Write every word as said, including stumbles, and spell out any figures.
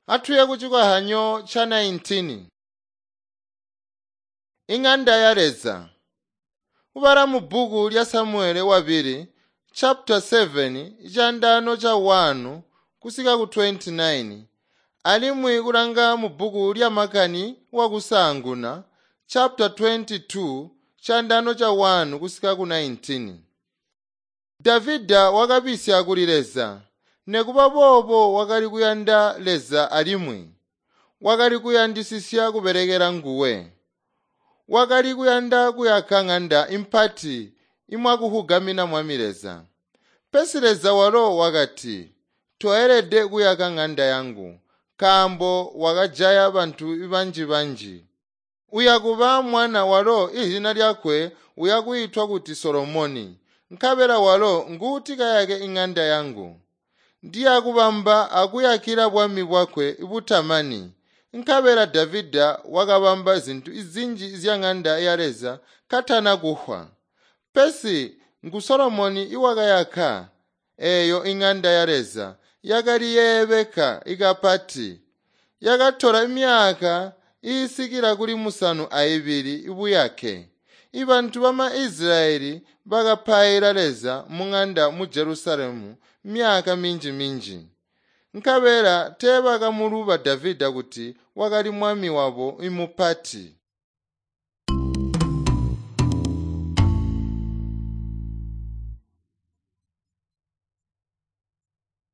Atuye kucikwahanyo ca nineteen. Ing'anda ya Leza. Kubala mu bbuku lya Samuele wabili chapter seven candano ca one kusika ku twenty-nine alimwi kulanga mu bbuku lya makani wakusaanguna chapter twenty-two candano ca one kusika ku nineteen. Davida wakabisya kuli Leza, nekuba boobo wakali kuyanda Leza alimwi wakali kuyandisisya kubelekela nguwe. Wakali kuyanda kuyaka ng'anda impati imwakuhugamina Mwami Leza. Pesi Leza walo wakati, toelede kuyaka ng'anda yangu, nkaambo wakajaya bantu banji banji. Uyakuba mwana walo izina lyakwe uyakwiitwa kuti Solomoni, nkabela walo nguuti kayake ing'anda yangu. Ndiyakubamba akuyakila bwami bwakwe butamani. Nkabela Davida wakabamba zintu zinji zya ng'anda ya Leza katana kuhwa. Pesi ngu Solomoni iwakayaka eyo ing'anda ya Leza yakali yeebeka ikapati. Yakatola myaka iisikila kuli musanu aibili ibuyake. Ibantu bama Israyeli bakapaila Leza mung'anda mu Jerusalemu myaka minji minji. Nkabela teebakamuluba Davida kuti wakali mwami wabo imupati.